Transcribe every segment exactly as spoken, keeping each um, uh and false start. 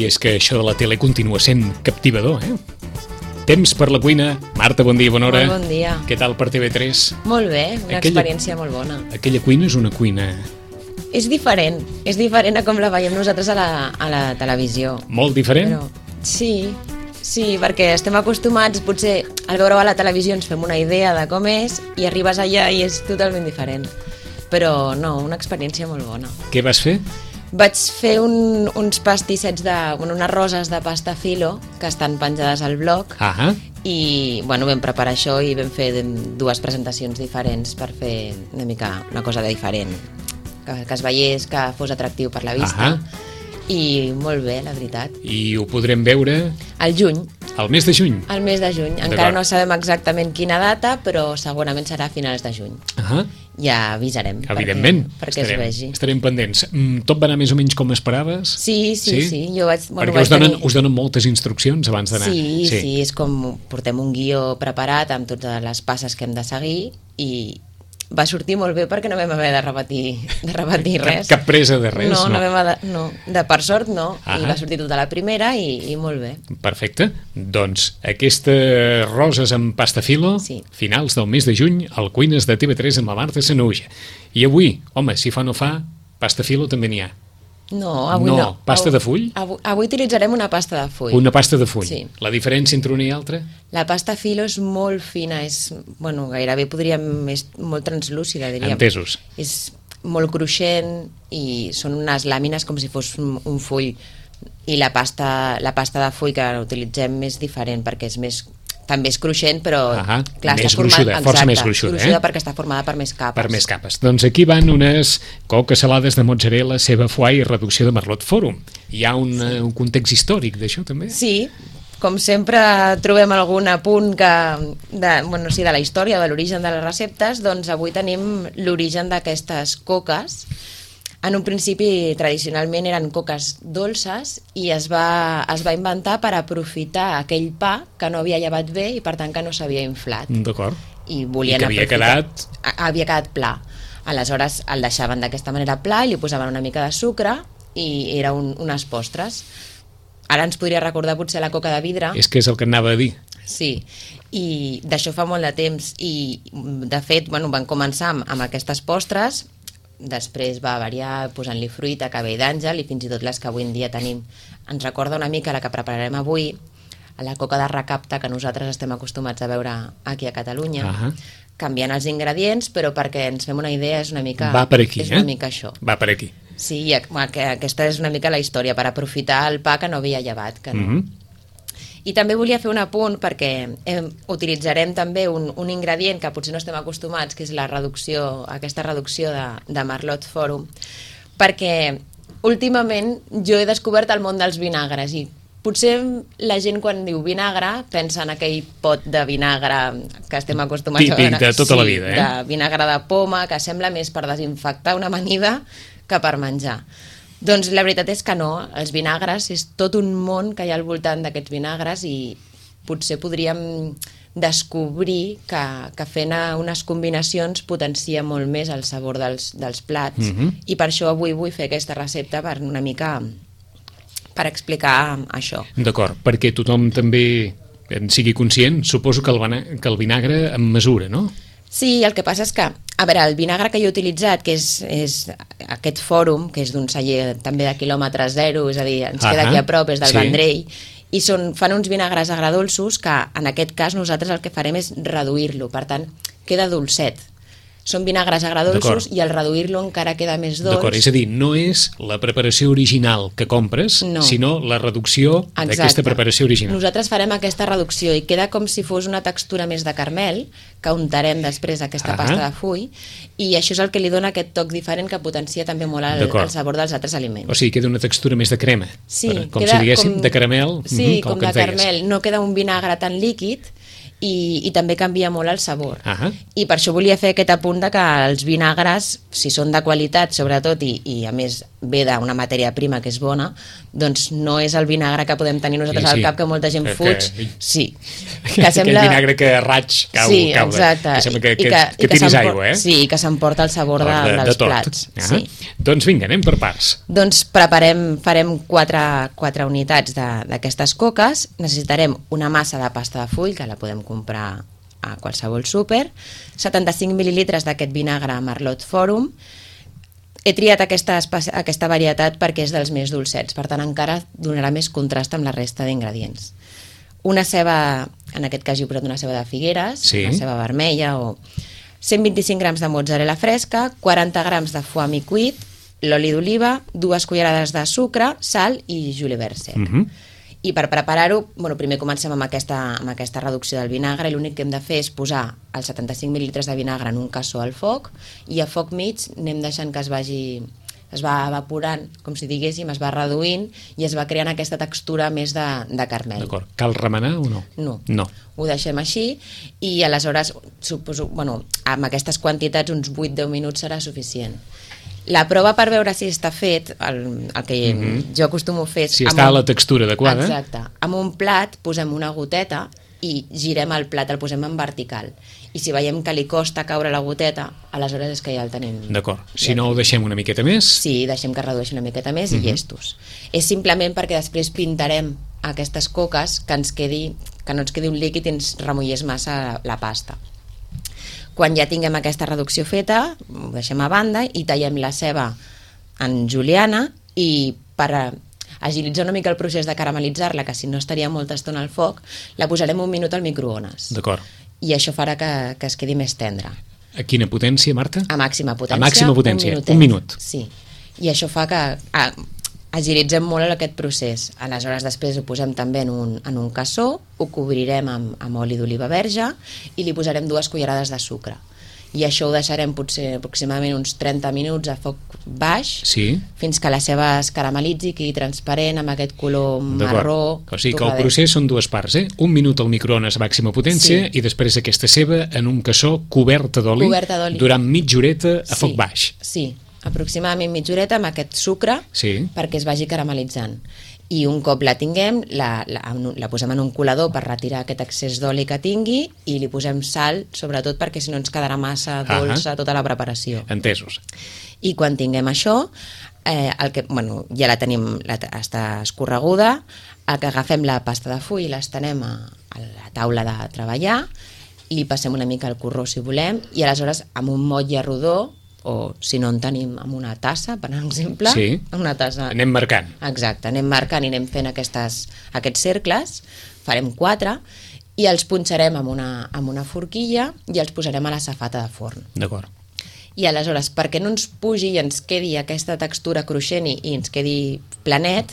I és que això de la tele continua sent captivador, eh? Temps per la cuina. Marta, bon dia, bona hora. Molt bon dia. Què tal per T V tres? Molt bé, una Aquella- experiència molt bona. Aquella cuina és una cuina És diferent, és diferent a com la veiem nosaltres a la, a la televisió. molt diferent. Però, sí, sí, perquè estem acostumats, potser al veure-ho a la televisió ens fem una idea de com és i arribes allà i és totalment diferent. Però no, una experiència molt bona. Què vas fer? Vaig fer un, uns pastissets de... Bueno, unes roses de pasta filo que estan penjades al blog Ah, i bueno, vam preparar això i vam fer dues presentacions diferents per fer una mica una cosa de diferent, que, que es veiés, que fos atractiu per la vista. Ahà. I molt bé, la veritat. i ho podrem veure Al juny, al mes de juny. al mes de juny. Encara no sabem exactament quina data, però segurament serà a finals de juny. Ah, Ja avisarem. evidentment. Perquè, perquè estarem, es vegi. estarem pendents. Mm, Tot va anar més o menys com esperaves? Sí, sí, sí. sí. Jo vaig, bueno, Perquè vaig us donen, tenir... us donen moltes instruccions abans d'anar. Sí, sí, sí, és com portem un guió preparat amb totes les passes que hem de seguir i va sortir molt bé perquè no vam haver de repetir, de repetir res. Cap, cap presa de res? No, no, vam haver de, no, de per sort no, Ahà. i va sortir tota la primera i, i molt bé. Perfecte. Doncs aquestes roses amb pasta filo, Sí. finals del mes de juny, al Cuines de T V tres amb la Marta Sanahuja. I avui, home, si fa no fa, pasta filo també n'hi ha. No, avui no. No, pasta de full? Avui, avui utilitzarem una pasta de full. Una pasta de full. Sí. La diferència entre una i altra? La pasta filo és molt fina, és, bueno, gairebé podríem, és molt translúcida, diríem. Entesos. És molt cruixent i són unes làmines com si fos un, un full, i la pasta, la pasta de full que utilitzem és diferent perquè és més, també és cruixent, però Ahà, clar, més està formada, gruixuda, força més gruixuda, gruixuda eh? perquè està formada per més capes. Per més capes. Doncs aquí van unes coques salades de mozzarella, ceba foie i reducció de merlot forum. Hi ha un, sí. un context històric d'això també? Sí, com sempre trobem algun apunt que, de, bueno, sí, de la història, de l'origen de les receptes, doncs avui tenim l'origen d'aquestes coques. En un principi, tradicionalment, eren coques dolces i es va, es va inventar per aprofitar aquell pa que no havia llevat bé i, per tant, que no s'havia inflat. D'acord. I volien I que havia aprofitar- quedat- A- Havia quedat pla. Aleshores, el deixaven d'aquesta manera pla i li posaven una mica de sucre i era un, unes postres. Ara ens podria recordar potser la coca de vidre. És que és el que anava a dir. Sí, i d'això fa molt de temps i de fet, bueno, van començar amb, amb aquestes postres, després va variar posant-li fruita, cabell d'àngel i fins i tot les que avui en dia tenim. Ens recorda una mica la que prepararem avui, a la coca de recapta que nosaltres estem acostumats a veure aquí a Catalunya, Ahà. canviant els ingredients, però perquè ens fem una idea és una mica, Va per aquí, és eh? una mica això. Va per aquí. Sí, i ac- que aquesta és una mica la història, per aprofitar el pa que no havia llevat, que no. Mhm. I també volia fer un apunt perquè eh, utilitzarem també un, un ingredient que potser no estem acostumats, que és la reducció, aquesta reducció de, de Merlot Forum, perquè últimament jo he descobert el món dels vinagres i potser la gent quan diu vinagre pensa en aquell pot de vinagre que estem acostumats Típic a veure. de tota la vida, eh? De vinagre de poma, que sembla més per desinfectar una amanida que per menjar. Doncs la veritat és que no, els vinagres és tot un món que hi ha al voltant d'aquests vinagres i potser podríem descobrir que, que fent unes combinacions potencia molt més el sabor dels, dels plats Mhm. i per això avui vull fer aquesta recepta per una mica per explicar això. D'acord, perquè tothom també en sigui conscient, suposo que el, vana- que el vinagre en mesura, no? Sí, el que passa és que, a veure, el vinagre que jo he utilitzat, que és, és aquest fòrum, que és d'un celler també de quilòmetre zero, és a dir, ens queda Ahà, aquí a prop, és del sí. Vendrell, i són, fan uns vinagres agradolços que en aquest cas nosaltres el que farem és reduir-lo, per tant, queda dolcet. Són vinagres agradolços D'acord. i al reduir-lo encara queda més dolç. D'acord, és a dir, no és la preparació original que compres, No. sinó la reducció d'aquesta Exacte. preparació original. Nosaltres farem aquesta reducció i queda com si fos una textura més de caramel, que untarem després aquesta Ahà. pasta de full, i això és el que li dona aquest toc diferent que potencia també molt el, D'acord. el sabor dels altres aliments. O sigui, queda una textura més de crema. Sí, per- com queda si diguéssim, com- de caramel. Sí, mhm, com que de ens deies. caramel. No queda un vinagre tan líquid i, i també canvia molt el sabor. Ahà. I per això volia fer aquest apunt de que els vinagres, si són de qualitat sobretot, i, i a més ve d'una matèria prima que és bona, doncs no és el vinagre que podem tenir nosaltres sí, sí. al cap, que molta gent que, fuig. Que, sí. Que sembla... Aquell vinagre que raig cau. Sí, cau exacte. Que sembla que, que, I que, que, que tiris aigua, eh? Sí, i que s'emporta el sabor de, de, dels de tot. plats. Ah. Sí. Doncs vinga, anem per parts. Doncs preparem, farem quatre, quatre unitats d'aquestes coques. Necessitarem una massa de pasta de full, que la podem comprar a qualsevol súper, setanta-cinc mil·lilitres d'aquest vinagre Merlot Forum. He triat aquesta, aquesta varietat perquè és dels més dolcets, per tant encara donarà més contrast amb la resta d'ingredients. Una ceba, en aquest cas jo he posat una ceba de Figueres, sí. Una ceba vermella, o cent vint-i-cinc grams de mozzarella fresca, quaranta grams de foie mi cuit, l'oli d'oliva, dues cullerades de sucre, sal i julivert sec. Mm-hmm. I per preparar-ho, bueno, primer comencem amb aquesta, amb aquesta reducció del vinagre, i l'únic que hem de fer és posar els setanta-cinc mil·lilitres de vinagre en un cassó al foc, i a foc mig anem deixant que es vagi, es va evaporant, com si diguéssim, es va reduint, i es va creant aquesta textura més de, de carmel. D'acord. Cal remenar o no? No. No. Ho deixem així, i aleshores, suposo, bueno, amb aquestes quantitats, uns vuit a deu minuts serà suficient. La prova per veure si està fet, el, el que mm-hmm. jo acostumo a fer... Si està un, a la textura adequada. Exacte. Amb un plat posem una goteta i girem el plat, el posem en vertical. I si veiem que li costa caure la goteta, aleshores és que ja el tenim... D'acord. Si ja no ho deixem una miqueta més... Sí, deixem que redueixi una miqueta més mm-hmm. i llestos. És simplement perquè després pintarem aquestes coques que ens quedi, que no ens quedi un líquid i ens remullés massa la, la pasta. Quan ja tinguem aquesta reducció feta, ho deixem a banda i tallem la ceba en juliana, i per agilitzar una mica el procés de caramelitzar-la, que si no estaria molta estona al foc, la posarem un minut al microones. D'acord. I això farà que, que es quedi més tendra. A quina potència, Marta? A màxima potència. A màxima potència, un, un minut. Sí, i això fa que... Ah, agilitzem molt aquest procés. Aleshores després ho posem també en un, en un cassó, ho cobrirem amb, amb oli d'oliva verge i li posarem dues cullerades de sucre. I això ho deixarem potser aproximadament uns trenta minuts a foc baix, sí. Fins que la ceba es caramelitzi, quedi transparent, amb aquest color marró. O sigui que el procés són dues parts, eh? Un minut al microones a màxima potència, sí. I després aquesta ceba en un cassó coberta d'oli durant mitja horeta a sí. foc baix. Sí, aproximadament mitja horeta amb aquest sucre, sí. Perquè es vagi caramelitzant. I un cop la tinguem, la, la, la posem en un colador per retirar aquest excés d'oli que tingui, i li posem sal, sobretot perquè si no ens quedarà massa dolça tota la preparació. Entesos. I quan tinguem això, eh, el que, bueno, ja la tenim, la, està escorreguda, el que agafem la pasta de full i l'estenem a, a la taula de treballar, li passem una mica el corró si volem, i aleshores amb un motlle rodó, o si no en tenim amb una tassa, per exemple, sí. Una tassa... Anem marcant. Exacte, anem marcant i anem fent aquestes, aquests cercles, farem quatre, i els punxarem amb una, amb una forquilla i els posarem a la safata de forn. D'acord. I aleshores, perquè no ens pugi i ens quedi aquesta textura cruixent i, i ens quedi planet,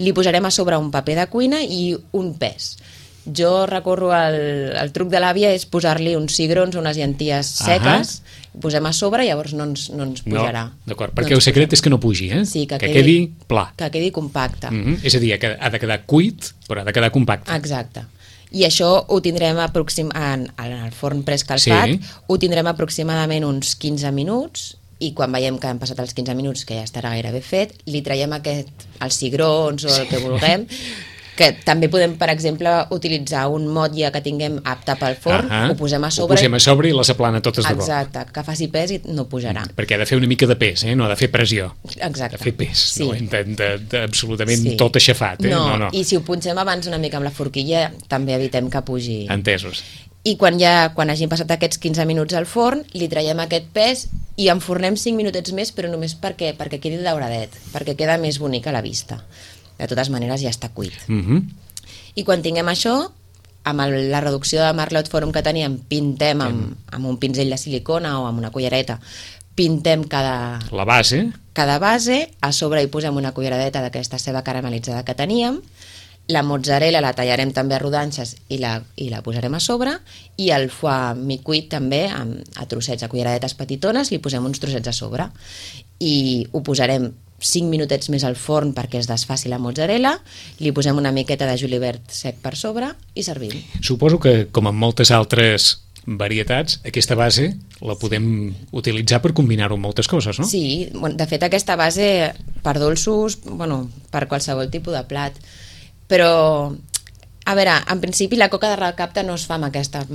li posarem a sobre un paper de cuina i un pes. Jo recorro al, al truc de l'àvia és posar-li uns cigrons o unes llenties seques, uh-huh. Posem a sobre, llavors no ens, no ens pujarà. No, d'acord, perquè no el secret és que no pugi, eh? Sí, que, que quedi, quedi pla. Que quedi compacte. Uh-huh. És a dir, que ha de quedar cuit, però ha de quedar compacte. Exacte. I això ho tindrem aproxim... en, en el forn preescalfat, sí. Ho tindrem aproximadament uns quinze minuts, i quan veiem que han passat els quinze minuts, que ja estarà gairebé fet, li traiem aquest, els cigrons o el que vulguem, que també podem, per exemple, utilitzar un motlle que tinguem apte pel forn, uh-huh. Ho posem a sobre... Ho posem a sobre i les aplana totes de cop. Exacte, que faci pes i no pujarà. Mm, perquè ha de fer una mica de pes, eh? No ha de fer pressió. Exacte. Ha de fer pes, sí. No? De, de, de, absolutament sí. Tot aixafat. Eh? No, no, no, i si ho punxem abans una mica amb la forquilla, també evitem que pugi. Entesos. I quan ja quan hagin passat aquests quinze minuts al forn, li traiem aquest pes i enfornem cinc minutets més, però només perquè, perquè quedi dauradet, perquè queda més bonic a la vista. De totes maneres ja està cuit. Mhm. I quan tinguem això, amb el, la reducció de Merlot Forum que teníem, pintem amb, amb un pinzell de silicona o amb una cullereta, pintem cada... La base. Cada base, a sobre hi posem una culleradeta d'aquesta ceba caramelitzada que teníem, la mozzarella la tallarem també a rodanxes i la, i la posarem a sobre, i el foie mi cuit també, amb, a trossets, a culleradetes petitones, li posem uns trossets a sobre. I ho posarem cinc minutets més al forn perquè es desfaci la mozzarella, li posem una miqueta de julivert sec per sobre i servim. Suposo que, com en moltes altres varietats, aquesta base la podem utilitzar per combinar-ho amb moltes coses, no? Sí, de fet aquesta base per dolços, bueno, per qualsevol tipus de plat, però a veure, en principi la coca de recapta no es fa amb aquesta,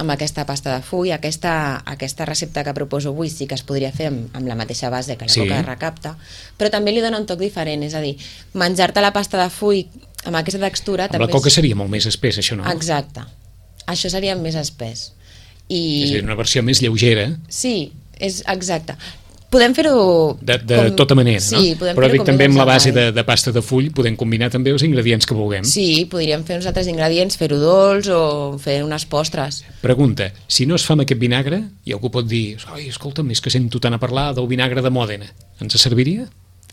amb aquesta pasta de full, aquesta, aquesta recepta que proposo avui sí que es podria fer amb, amb la mateixa base que la sí. coca de recapta, però també li dona un toc diferent, és a dir, menjar-te la pasta de full amb aquesta textura... Amb la coca és... seria molt més espès, això, no? Exacte, això seria més espès. I... És a dir, una versió més lleugera. Sí, és exacte. Podem fer-ho... De, de com... tota manera, sí, no? Podem Però dic també amb la base de, de pasta de full podem combinar també els ingredients que vulguem. Sí, podríem fer uns altres ingredients, fer-ho dolç o fer unes postres. Pregunta, si no es fa amb aquest vinagre, i algú pot dir, oi, escolta'm, és que sento tant a parlar del vinagre de Mòdena, ens serviria?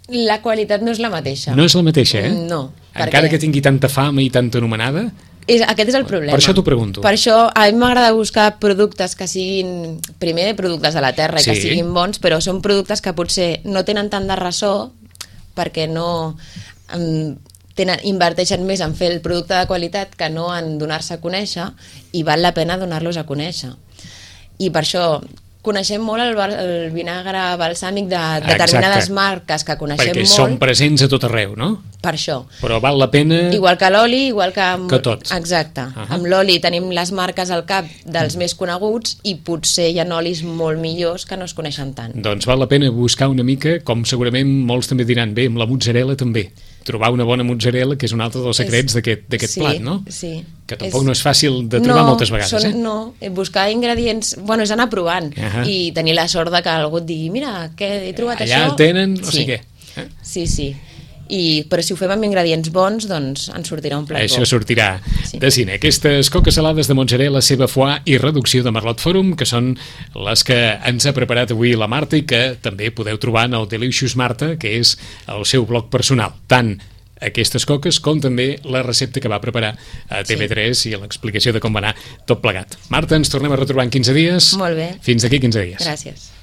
La qualitat no és la mateixa. No és la mateixa, eh? No. Encara perquè... que tingui tanta fama i tanta anomenada... És, aquest és el problema. Per això t'ho pregunto. Per això a mi m'agrada buscar productes que siguin, primer, productes de la terra i sí. que siguin bons, però són productes que potser no tenen tant de ressò perquè no um, tenen, inverteixen més en fer el producte de qualitat que no en donar-se a conèixer, i val la pena donar-los a conèixer. I per això coneixem molt el, el vinagre balsàmic de determinades Exacte. marques que coneixem perquè molt. Perquè són presents a tot arreu, no? Per això. Però val la pena... Igual que l'oli, igual que... Amb... Que tot. Exacte. Uh -huh. Amb l'oli tenim les marques al cap dels més coneguts i potser hi ha olis molt millors que no es coneixen tant. Doncs val la pena buscar una mica, com segurament molts també diran, bé, amb la mozzarella també. Trobar una bona mozzarella, que és un altre dels secrets d'aquest sí, plat, no? Sí. Que tampoc és... no és fàcil de trobar no, moltes vegades, són, eh? No, buscar ingredients... Bueno, és anar provant uh -huh. i tenir la sort de que algú et digui mira, que he trobat Allà això... Allà tenen no sí. sé què. Eh? Sí, sí. I, però si ho fem amb ingredients bons, doncs ens sortirà un plat Això bo. sortirà sí. de cine. Aquestes coques salades de mozzarella, ceba foie i reducció de Merlot Forum, que són les que ens ha preparat avui la Marta i que també podeu trobar en el Delicious Marta, que és el seu blog personal. Tant aquestes coques com també la recepta que va preparar a T V tres sí. i l'explicació de com va anar tot plegat. Marta, ens tornem a retrobar en quinze dies. Molt bé. Fins d'aquí quinze dies. Gràcies.